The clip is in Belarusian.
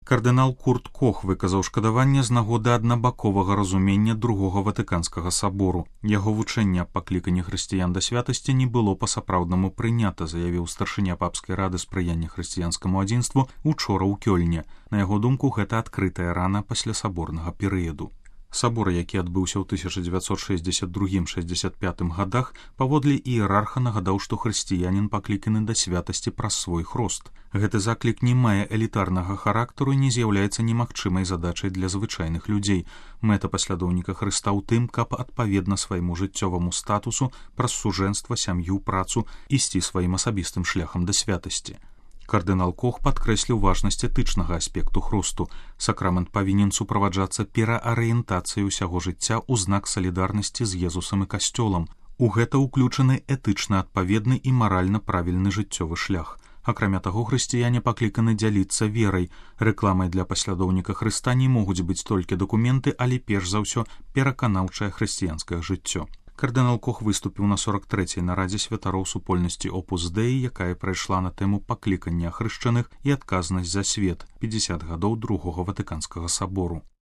Кардынал Курт Кох выказаў шкадаванне з нагоды аднабаковага разумення Другога Ватыканскага сабору. Яго вучэнне аб пакліканні хрысціян да святасці не было па-сапраўднаму прынята, заявіў старшыня папскай рады спрыяння хрысціянскаму адзінству учора ў Кёльне. На яго думку, гэта адкрытая рана пасля саборнага перыяду. Сабор, які адбыўся ў 1962-65 годах, паводле іерарха нагадаў, што хрысціянін пакліканы да святасці праз свой хрост. Гэты заклік не мае элітарнага характару і не з'яўляецца немагчымай задачай для звычайных людзей. Мэта паслядоўніка Хрыста ў тым, каб адпаведна свайму жыццёваму статусу праз сужэнства, сям'ю, працу ісці сваім асабістым шляхам да святасці. Кардынал Кох падкрэсліў важнасць этычнага аспекту хросту. Сакрамент павінен суправаджацца пераарыентацыяй усяго жыцця ў знак салідарнасці з Езусам і касцёлам. У гэта ўключаны этычна адпаведны і маральна правільны жыццёвы шлях. Акрамя таго, хрысціяне пакліканы дзяліцца верай. Рэкламай для паслядоўніка Хрыста не могуць быць толькі дакументы, але перш за ўсё пераканаўчае хрысціянскае жыццё. Кардынал Кох выступіў на 43-й нарадзе святароў супольнасці Опус Деі, якая прайшла на тэму паклікання ахрышчаных і адказнасць за свет 50 гадоў Другога Ватыканскага сабору.